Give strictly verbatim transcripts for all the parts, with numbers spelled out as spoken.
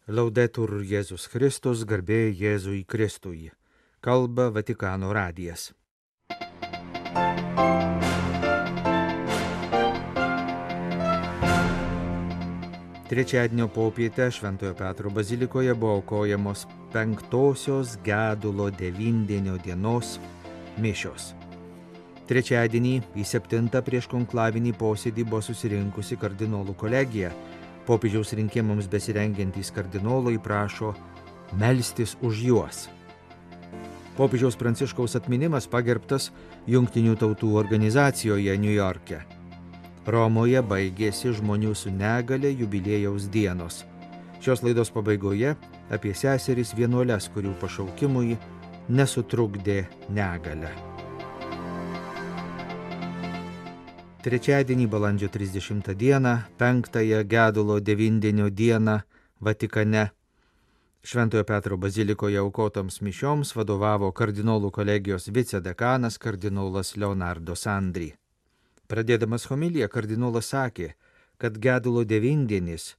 Laudetur Jėzus Kristus, garbė Jėzui Kristui. Kalba Vatikano radijas. Trečiadienio popietę Šventojo Petro bazilikoje buvo aukojamos penktosios gedulo devindienio dienos mišios. Trečiadienį į septintą prieš konklavinį posėdį buvo susirinkusi kardinolų kolegija. Popiežiaus rinkimams besirengiantys kardinolai prašo melstis už juos. Popiežiaus Pranciškaus atminimas pagerbtas Jungtinių tautų organizacijoje Niujorke. Romoje baigėsi žmonių su negale jubiliejaus dienos. Šios laidos pabaigoje apie seseris vienuoles, kurių pašaukimui nesutrukdė negale. Trečiadienį balandžio trisdešimtą dieną, penktąją gedulo devindienio dieną Vatikane, Šventojo Petro bazilikoje aukotoms mišioms vadovavo kardinolų kolegijos vicedekanas kardinolas Leonardo Sandri. Pradėdamas homiliją, kardinolas sakė, kad gedulo devindienis,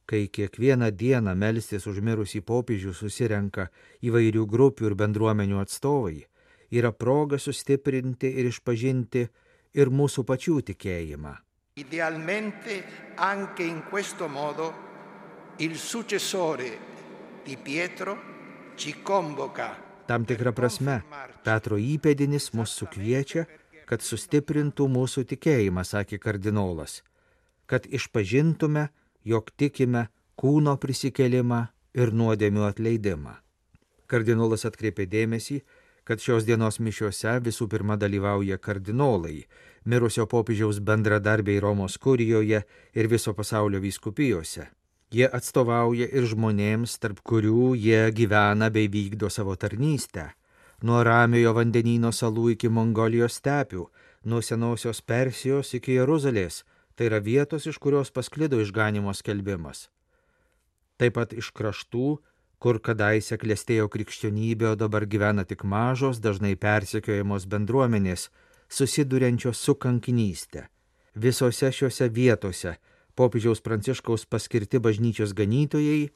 kai kiekvieną dieną melstis už mirusį popiežių susirenka įvairių grupių ir bendruomenių atstovai, yra proga sustiprinti ir išpažinti ir mūsų pačių tikėjimą. Idealmente anche in questo modo il successore di Pietro ci convoca. Tam tikra prasme, Petro įpėdinis mus sukviečia, kad sustiprintų mūsų tikėjimą, sakė kardinolas, kad išpažintume, jog tikime kūno prisikėlimą ir nuodėmių atleidimą. Kardinolas atkreipė dėmesį, kad šios dienos mišiose visų pirma dalyvauja kardinolai, mirusio popiežiaus bendradarbiai Romos kurijoje ir viso pasaulio vyskupijose. Jie atstovauja ir žmonėms, tarp kurių jie gyvena bei vykdo savo tarnystę. Nuo Ramiojo vandenyno salų iki Mongolijos stepių, nuo senosios Persijos iki Jeruzalės, tai yra vietos, iš kurios pasklido išganimo skelbimas. Taip pat iš kraštų, kur kadaise klestėjo krikščionybė, o dabar gyvena tik mažos, dažnai persekiojamos bendruomenės, susiduriančios su kankinystė. Visose šiuose vietose popiežiaus Pranciškaus paskirti bažnyčios ganytojai,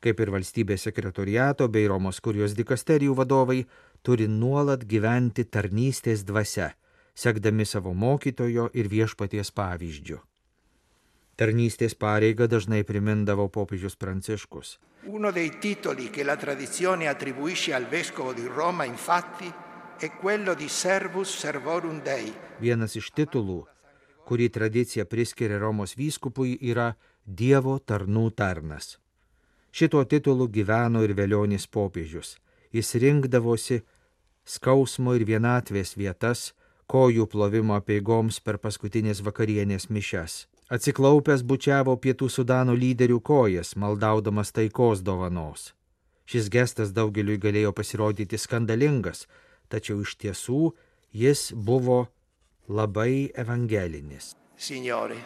kaip ir valstybės sekretoriato bei Romos kurijos dikasterijų vadovai, turi nuolat gyventi tarnystės dvasia, sekdami savo mokytojo ir viešpaties pavyzdžiu. Tarnystės pareigą dažnai primindavo popiežius Pranciškus. Uno dei titoli che la tradizione attribuisce al vescovo di Roma, infatti, è quello di servus servorum Dei. Vienas iš titulų, kurį tradicija priskiria Romos vyskupui, yra Dievo tarnų tarnas. Šituo titulu gyveno ir velionis popiežius. Jis rinkdavosi skausmo ir vienatvės vietas, kojų plovimo apeigoms per paskutinės vakarienės mišias. Atsiklaupęs bučiavo Pietų Sudano lyderių kojas, maldaudamas taikos dovanos. Šis gestas daugeliui galėjo pasirodyti skandalingas, tačiau iš tiesų jis buvo labai evangelinis. Signore,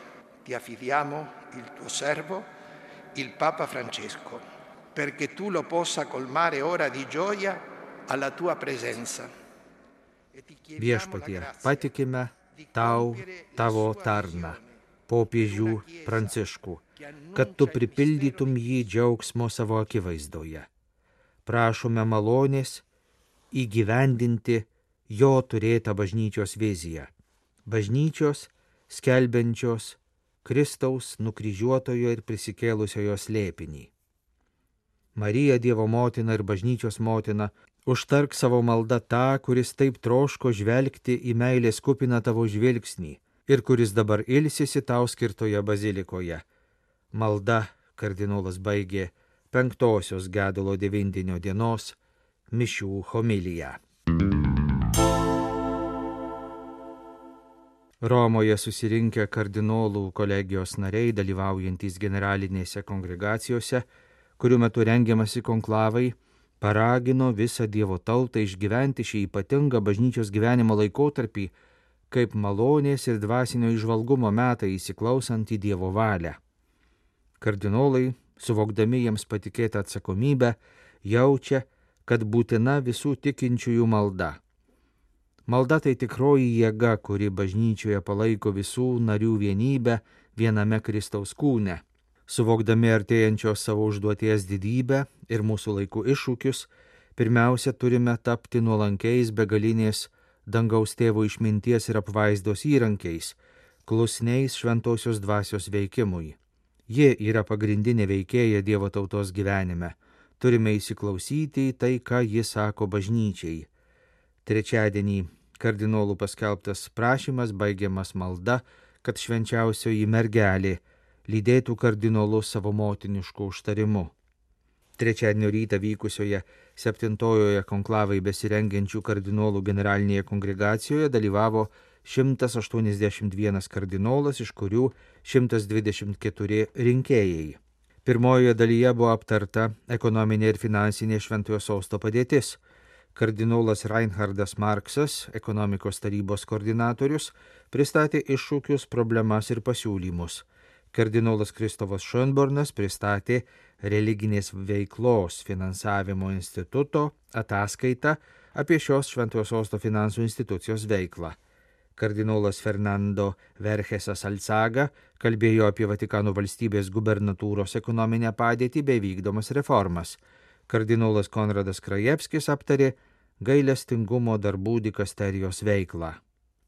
ti affidiamo il tuo servo, il Papa Francesco, perché tu lo possa colmare ora di gioia alla tua presenza. Viešpatie, patikime tau tavo tarną, popiežių Pranciškų, kad tu pripildytum jį džiaugsmo savo akivaizdoje. Prašome malonės įgyvendinti jo turėtą bažnyčios viziją. Bažnyčios, skelbiančios Kristaus nukryžiuotojo ir prisikėlusiojo slėpinį. Marija, Dievo motina ir bažnyčios motina, užtark savo maldą tą, kuris taip troško žvelgti į meilės kupiną tavo žvilgsnį ir kuris dabar ilsisi tau skirtoje bazilikoje. Malda, kardinolas baigė penktosios gedulo devindienio dienos mišių homiliją. Romoje susirinkę kardinolų kolegijos nariai, dalyvaujantys generalinėse kongregacijose, kurių metu rengiamasi konklavai, paragino visą Dievo tautą išgyventi šį ypatingą bažnyčios gyvenimo laikotarpį kaip malonės ir dvasinio įžvalgumo metai įsiklausant į Dievo valią. Kardinolai, suvokdami jiems patikėtą atsakomybę, jaučia, kad būtina visų tikinčiųjų malda. Malda tai tikroji jėga, kuri bažnyčioje palaiko visų narių vienybę viename Kristaus kūne. Suvokdami artėjančios savo užduoties didybę ir mūsų laikų iššūkius, pirmiausia turime tapti nuolankiais begalinės dangaus tėvo išminties ir apvaizdos įrankiais, klusniais šventosios dvasios veikimui. Ji yra pagrindinė veikėja Dievo tautos gyvenime. Turime įsiklausyti į tai, ką ji sako bažnyčiai. Trečiadienį kardinolų paskelbtas prašymas baigiamas malda, kad švenčiausioji mergelė lydėtų kardinolus savo motinišku užtarimu. Trečiadienio rytą vykusioje septintojoje konklavai besirengiančių kardinolų generalinėje kongregacijoje dalyvavo šimtas aštuoniasdešimt vienas kardinolas, iš kurių šimtas dvidešimt keturi rinkėjai. Pirmojoje dalyje buvo aptarta ekonominė ir finansinė Šventojo Sosto padėtis. Kardinolas Reinhardas Marksas, ekonomikos tarybos koordinatorius, pristatė iššūkius, problemas ir pasiūlymus. Kardinolas Kristofas Schönbornas pristatė religinės veiklos finansavimo instituto ataskaitą apie šios Šventojo Sosto finansų institucijos veiklą. Kardinolas Fernando Vergesas Alzaga kalbėjo apie Vatikano valstybės gubernatūros ekonominę padėtį bei vykdomas reformas. Kardinolas Konradas Krajevskis aptarė gailestingumo darbų dikasterijos veiklą.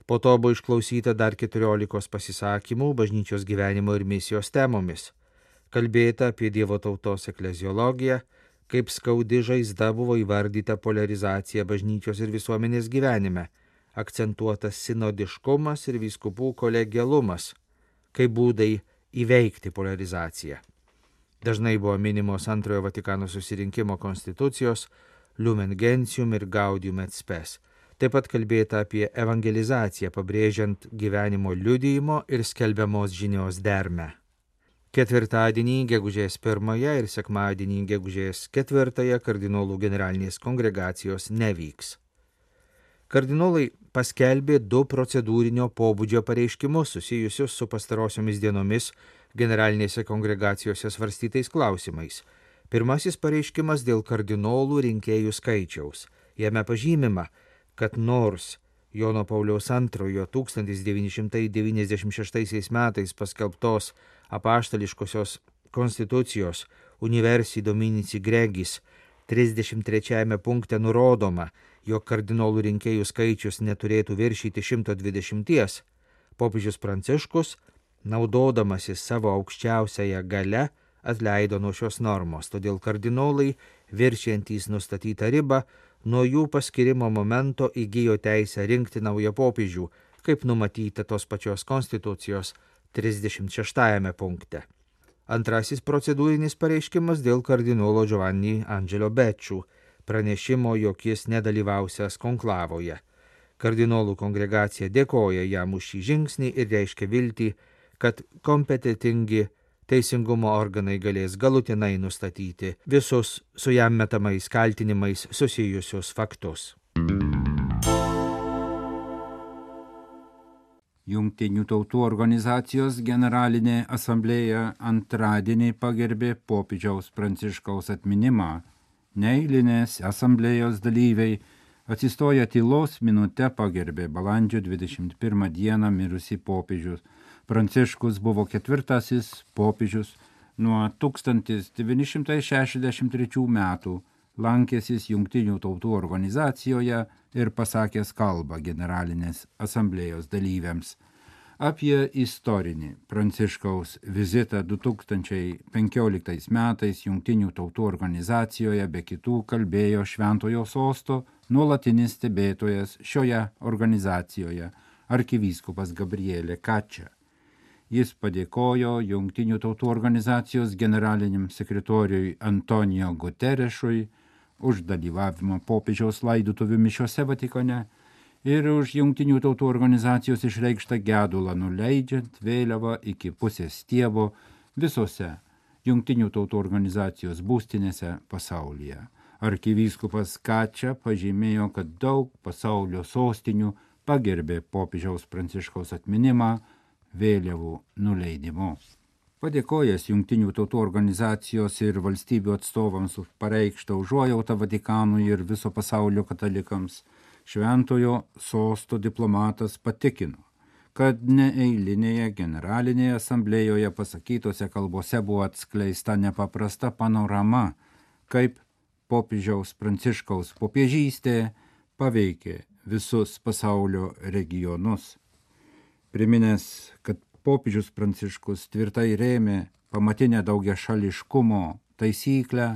Po to buvo išklausyta dar keturiolikos pasisakymų bažnyčios gyvenimo ir misijos temomis. Kalbėta apie Dievo tautos ekleziologiją, kaip skaudi žaizda buvo įvardyta poliarizacija bažnyčios ir visuomenės gyvenime, akcentuotas sinodiškumas ir vyskupų kolegialumas, kaip būdai įveikti poliarizaciją. Dažnai buvo minimos antrojo Vatikano susirinkimo konstitucijos Lumen Gentium ir Gaudium et Spes. Taip pat kalbėta apie evangelizaciją, pabrėžiant gyvenimo liudijimo ir skelbiamos žinios dermę. Ketvirtadienį gegužės pirmąją ir sekmadienį gegužės ketvirtąją kardinolų generalinės kongregacijos nevyks. Kardinolai paskelbė du procedūrinio pobūdžio pareiškimus susijusius su pastarosiomis dienomis generalinėse kongregacijose svarstytais klausimais. Pirmasis pareiškimas dėl kardinolų rinkėjų skaičiaus. Jame pažymima, kad nors Jono Pauliaus antrojo tūkstantis devyni šimtai devyniasdešimt šeštaisiais metais paskelbtos apaštališkosios konstitucijos Universi Dominici Gregis trisdešimt trečiajame punkte nurodoma, jog kardinolų rinkėjų skaičius neturėtų viršyti šimto dvidešimties, popiežius Pranciškus, naudodamasis savo aukščiausiąją galią, atleido nuo šios normos, todėl kardinolai, viršijantys nustatytą ribą, nuo jų paskirimo momento įgijo teisę rinkti naują popiežių, kaip numatyta tos pačios konstitucijos trisdešimt šeštajame punkte. Antrasis procedūrinis pareiškimas dėl kardinolo Giovanni Angelo Becciu, pranešimo, jog jis nedalyvausias konklavoje. Kardinolų kongregacija dėkoja jam už šį žingsnį ir reiškia viltį, kad kompetentingi teisingumo organai galės galutinai nustatyti visus su jam metamais kaltinimais susijusius faktus. Jungtinių tautų organizacijos generalinė asamblėja antradienį pagerbė popiežiaus Pranciškaus atminimą. Neeilinės asamblėjos dalyviai atsistoję tylos minute pagerbė balandžio dvidešimt pirmą dieną mirusį popiežius. Pranciškus buvo ketvirtasis popiežius nuo tūkstantis devyni šimtai šešiasdešimt trečių metų, lankėsis Jungtinių tautų organizacijoje ir pasakęs kalbą generalinės asamblėjos dalyviams. Apie istorinį Pranciškaus vizitą du tūkstančiai penkioliktais metais Jungtinių tautų organizacijoje be kitų kalbėjo Šventojo Sosto nuolatinis stebėtojas šioje organizacijoje arkivyskupas Gabriele Kačia. Jis padėkojo Jungtinių tautų organizacijos generaliniam sekretoriui Antonijo Guterešui už dalyvavimą popiežiaus laidotuvių mišiose Vatikane ir už Jungtinių tautų organizacijos išreikštą gedulą nuleidžiant vėliavą iki pusės stiebo visose Jungtinių tautų organizacijos būstinėse pasaulyje. Arkivyskupas Kačia pažymėjo, kad daug pasaulio sostinių pagerbė popiežiaus Pranciškaus atminimą vėliavų nuleidimu. Padėkojęs Jungtinių tautų organizacijos ir valstybių atstovams už pareikštą užuojautą Vatikanui ir viso pasaulio katalikams, Šventojo Sosto diplomatas patikino, kad neeilinėje generalinėje asamblėjoje pasakytose kalbose buvo atskleista nepaprasta panorama, kaip popiežiaus Pranciškaus popiežystė paveikė visus pasaulio regionus. Priminęs, kad popiežius Pranciškus tvirtai rėmė pamatinę daugiašališkumo taisyklę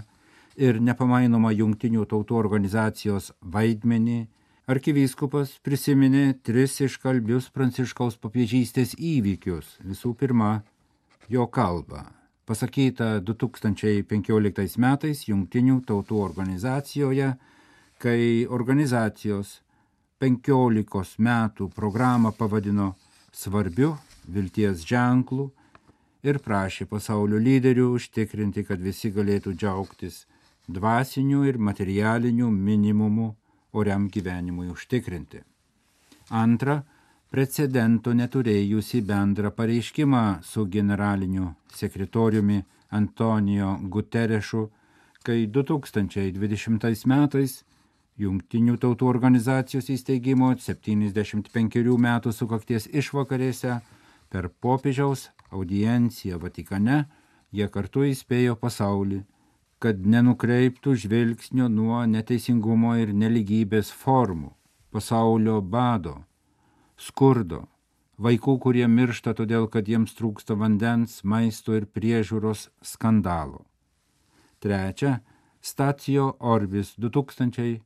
ir nepamainomą Jungtinių tautų organizacijos vaidmenį, arkivyskupas prisiminė tris iškalbius Pranciškaus popiežystės įvykius. Visų pirma, jo kalbą, pasakytą du tūkstančiai penkioliktais metais Jungtinių tautų organizacijoje, kai organizacijos penkiolikos metų programą pavadino svarbiu vilties ženklu ir prašė pasaulio lyderių užtikrinti, kad visi galėtų džiaugtis dvasiniu ir materialiniu minimumu oriam gyvenimui užtikrinti. Antra, precedento neturėjusi bendrą pareiškimą su generaliniu sekretoriumi Antonijo Guterešu, kai du tūkstančiai dvidešimtais metais Jungtinių tautų organizacijos įsteigimo septyniasdešimt penkerių metų sukakties išvakarėse per popiežiaus audienciją Vatikane jie kartu įspėjo pasaulį, kad nenukreiptų žvilgsnio nuo neteisingumo ir nelygybės formų, pasaulio bado, skurdo, vaikų, kurie miršta todėl, kad jiems trūksta vandens, maisto ir priežiūros skandalo. Trečia, Stacio Orbis du tūkstančiai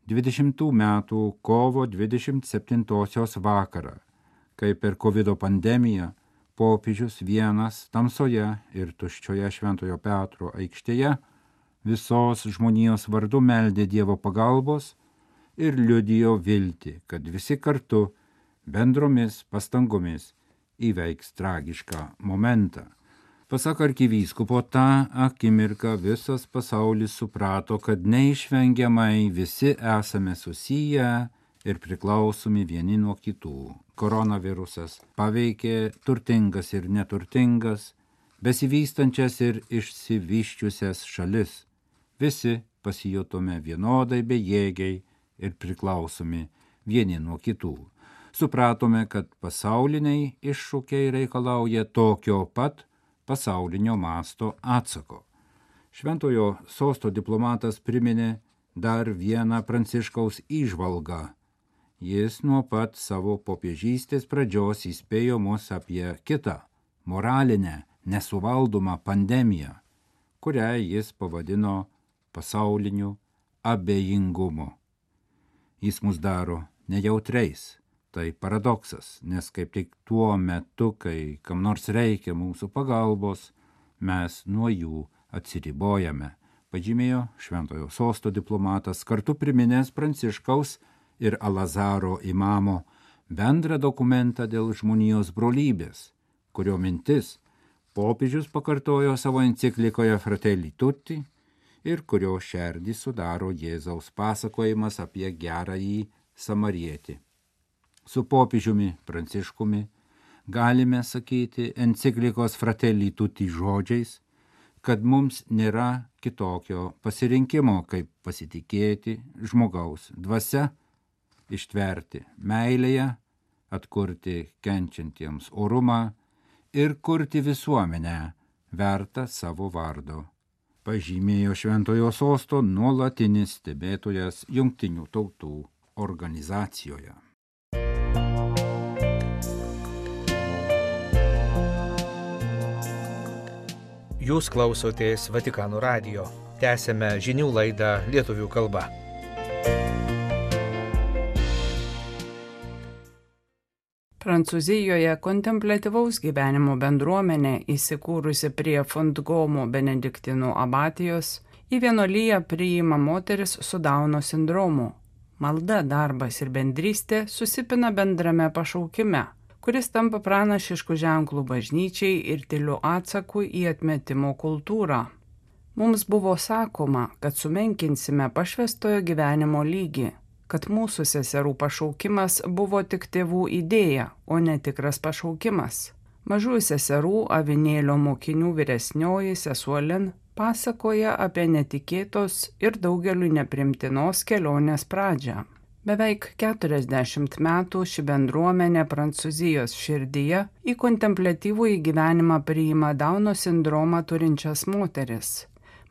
dvidešimtų metų kovo dvidešimt septintosios vakarą, kai per kovido pandemiją popiežius vienas tamsoje ir tuščioje Šventojo Petro aikštėje visos žmonijos vardu meldė Dievo pagalbos ir liudijo viltį, kad visi kartu bendromis pastangomis įveiks tragišką momentą. Pasak arkivyskupo, tą akimirką visas pasaulis suprato, kad neišvengiamai visi esame susiję ir priklausomi vieni nuo kitų. Koronavirusas paveikė turtingas ir neturtingas, besivystančias ir išsivyščiusias šalis. Visi pasijutome vienodai bejėgiai ir priklausomi vieni nuo kitų. Supratome, kad pasauliniai iššūkiai reikalauja tokio pat pasaulinio masto atsako. Šventojo sosto diplomatas priminė dar vieną Pranciškaus įžvalgą. Jis nuo pat savo popiežystės pradžios įspėjo mus apie kitą, moralinę, nesuvaldomą pandemiją, kurią jis pavadino pasauliniu abejingumu. Jis mus daro nejautriais. Tai paradoksas, nes kaip tik tuo metu, kai kam nors reikia mūsų pagalbos, mes nuo jų atsiribojame, pažymėjo Šventojo sosto diplomatas, kartu priminęs Pranciškaus ir Alazaro imamo bendrą dokumentą dėl žmonijos brolybės, kurio mintis popiežius pakartojo savo enciklikoje Fratelli Tutti ir kurio šerdį sudaro Jėzaus pasakojimas apie gerąjį samarietį. Su popiežiumi Pranciškumi galime sakyti enciklikos Fratelli Tutti žodžiais, kad mums nėra kitokio pasirinkimo, kaip pasitikėti žmogaus dvasia, ištverti meilėje, atkurti kenčiantiems orumą ir kurti visuomenę vertą savo vardo, pažymėjo Šventojo sosto nuolatinis stebėtojas Jungtinių tautų organizacijoje. Jūs klausotės Vatikano radijo. Tęsėme žinių laidą lietuvių kalba. Prancūzijoje kontempliatyvaus gyvenimo bendruomenė, įsikūrusi prie Fontgomo benediktinų abatijos, į vienuoliją priima moteris su Dauno sindromu. Malda, darbas ir bendrystė susipina bendrame pašaukime, kuris tampa pranašiškų ženklų bažnyčiai ir tyliu atsaku į atmetimo kultūrą. Mums buvo sakoma, kad sumenkinsime pašvęstojo gyvenimo lygį, kad mūsų seserų pašaukimas buvo tik tėvų idėja, o ne tikras pašaukimas. Mažųjų seserų avinėlio mokinių vyresnioji sesuo Lin pasakoja apie netikėtos ir daugeliui neprimtinos kelionės pradžią. Beveik keturiasdešimt metų ši bendruomenė Prancūzijos širdyje į kontempliatyvųjį gyvenimą priima Dauno sindromą turinčias moteris.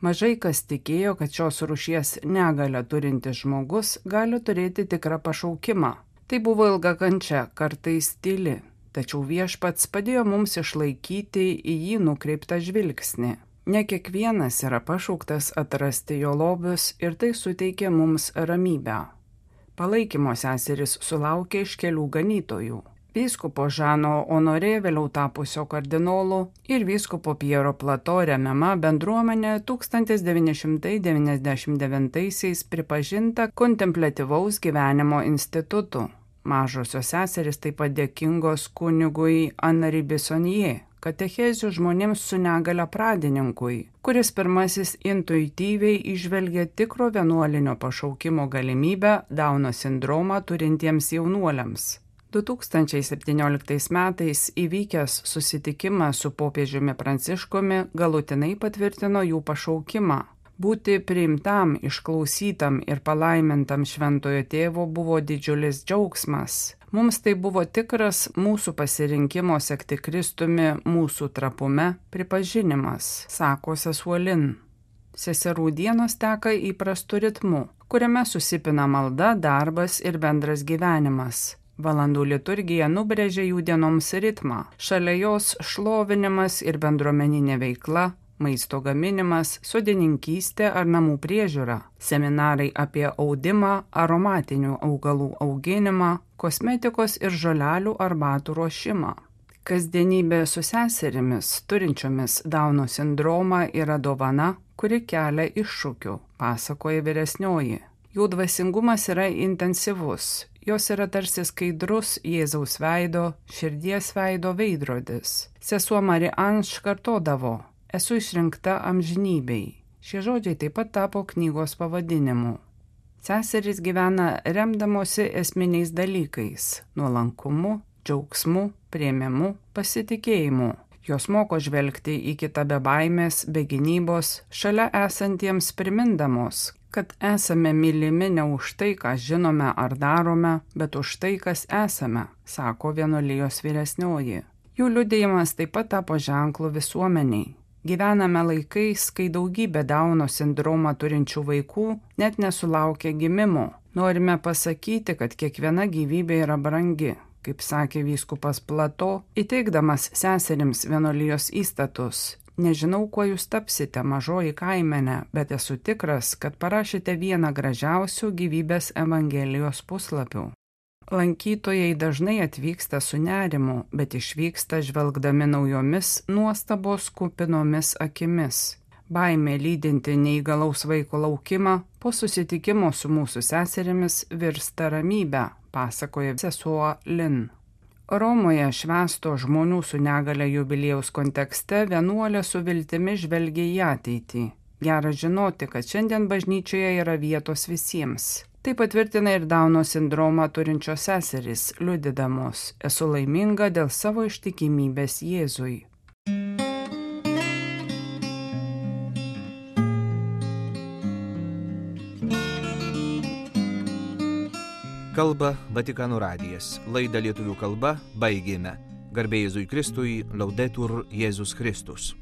Mažai kas tikėjo, kad šios rūšies negalią turintis žmogus gali turėti tikrą pašaukimą. Tai buvo ilga kančia, kartais tyli, tačiau Viešpats padėjo mums išlaikyti į jį nukreiptą žvilgsnį. Ne kiekvienas yra pašauktas atrasti jo lobius ir tai suteikia mums ramybę. Palaikymo seserys sulaukė iš kelių ganytojų. Vyskupo Žano Honorė, vėliau tapusio kardinolu, ir vyskupo Piero Plato remiama bendruomenė tūkstantis devyni šimtai devyniasdešimt devintaisiais pripažinta kontempliatyvaus gyvenimo institutu. Mažosios seserys taip pat dėkingos kunigui Henri Bissonnier, katechezių žmonėms su negale pradininkui, kuris pirmasis intuityviai įžvelgia tikro vienuolinio pašaukimo galimybę Dauno sindromą turintiems jaunuoliams. du tūkstančiai septynioliktais metais įvykęs susitikimas su popiežiumi Pranciškumi galutinai patvirtino jų pašaukimą. Būti priimtam, išklausytam ir palaimintam šventojo tėvo buvo didžiulis džiaugsmas. Mums tai buvo tikras mūsų pasirinkimo sekti Kristumi mūsų trapume pripažinimas, sako sesuo Lin. Seserų dienos teka įprastu ritmu, kuriame susipina malda, darbas ir bendras gyvenimas. Valandų liturgija nubrėžia jų dienoms ritmą, šalia jos šlovinimas ir bendruomeninė veikla, maisto gaminimas, sodininkystė ar namų priežiūra, seminarai apie audimą, aromatinių augalų auginimą, kosmetikos ir žolelių arbatų ruošimą. Kasdienybė su seserimis, turinčiomis Dauno sindromą, yra dovana, kuri kelia iššūkių, pasakoja vyresnioji. Jų dvasingumas yra intensyvus, jos yra tarsi skaidrus Jėzaus veido, širdies veido veidrodis. Sesuo Marie Ange kartodavo: esu išrinkta amžinybei. Šie žodžiai taip pat tapo knygos pavadinimu. Seserys gyvena remdamosi esminiais dalykais – nuolankumu, džiaugsmu, priėmimu, pasitikėjimu. Jos moko žvelgti į kitą be baimės, be gynybos, šalia esantiems primindamos, kad esame mylimi ne už tai, ką žinome ar darome, bet už tai, kas esame, sako vienuolijos vyresnioji. Jų liudijimas taip pat tapo ženklu visuomeniai. Gyvename laikais, kai daugybė Dauno sindromą turinčių vaikų net nesulaukia gimimo. Norime pasakyti, kad kiekviena gyvybė yra brangi, kaip sakė vyskupas Plato, įteikdamas seserims vienuolijos įstatus. Nežinau, kuo jūs tapsite, mažoji kaimenė, bet esu tikras, kad parašėte vieną gražiausių gyvybės evangelijos puslapių. Lankytojai dažnai atvyksta su nerimu, bet išvyksta žvelgdami naujomis nuostabos kupinomis akimis. Baimė lydinti neįgalaus vaiko laukimą po susitikimo su mūsų seserimis virsta ramybę, pasakoja sesuo Lin. Romoje švęsto žmonių su negale jubiliejaus kontekste vienuolė su viltimi žvelgia į ateitį. Gera žinoti, kad šiandien bažnyčioje yra vietos visiems. Tai patvirtina ir Dauno sindromą turinčios seserys, liudydamos: esu laiminga dėl savo ištikimybės Jėzui. Kalba Vatikano radijas. Laidą lietuvių kalba baigėme. Garbė Jėzui Kristui, Laudetur Jėzus Kristus.